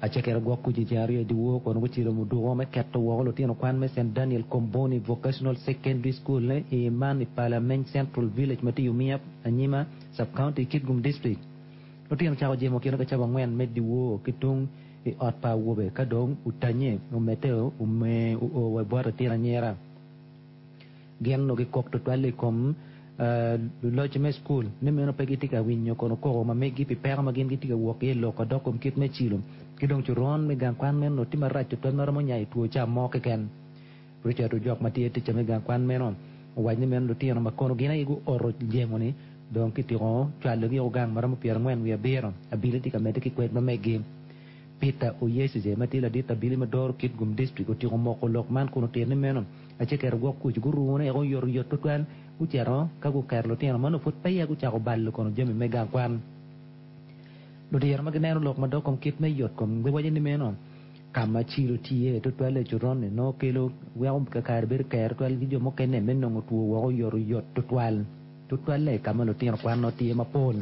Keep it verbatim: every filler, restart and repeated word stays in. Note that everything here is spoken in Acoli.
Acekero gwok kuc i ceng aryo i dyewor kono gucilo muduko me keto woko lutino kwan me St Daniel Comboni Vocational Secondary School i man i Palameny Central Village ma tye Umia Anyima Sub-County Kitgum District. Lutino cako jemo kino ka cawa angwen me dyewor ki tung i ot pa awobe ka dong utanye omedde ome oo wa bot atin anyira. Gin onongo gikok tutwal i kom luloc me cukul ni meno pe gitye ka winyo kono koko ma meggi pi peko ma gin gitye ka wok iye i lok adok kom kit me cilo ki dong coron me gang kwan meno tye marac tutwal ma romo nyayo two ca mo keken. Richard Ojok ma tye ticca me gang kwan meno owaco ni meno lutino ma kono gin aye guoto jemo-ni dong kitiko cwalogi o gang ma romo pyerangwen wiye abiro abili tye ka medde ki kwed ma meggi. Peter Oyesize ma tye ladit abili ma doro Kitgum District otiko moko lok man kun otito ni meno acekero gwok kuc gurune oyotoyot tutwal gucito ka guketo lutino ma nongo pud peya gucako balo kono jami me gang kwan. Ludiro ma gineno lok ma dok kom kit me yot kom giwaco ni meno ka ma cilo tye tutwal i coron-ni nongo kelo weko kakare bedo ker tutwal ki jo mukene me nongo two woko oyotoyot tutwal tutwalle ka ma lutino kwan nongo tye mapol.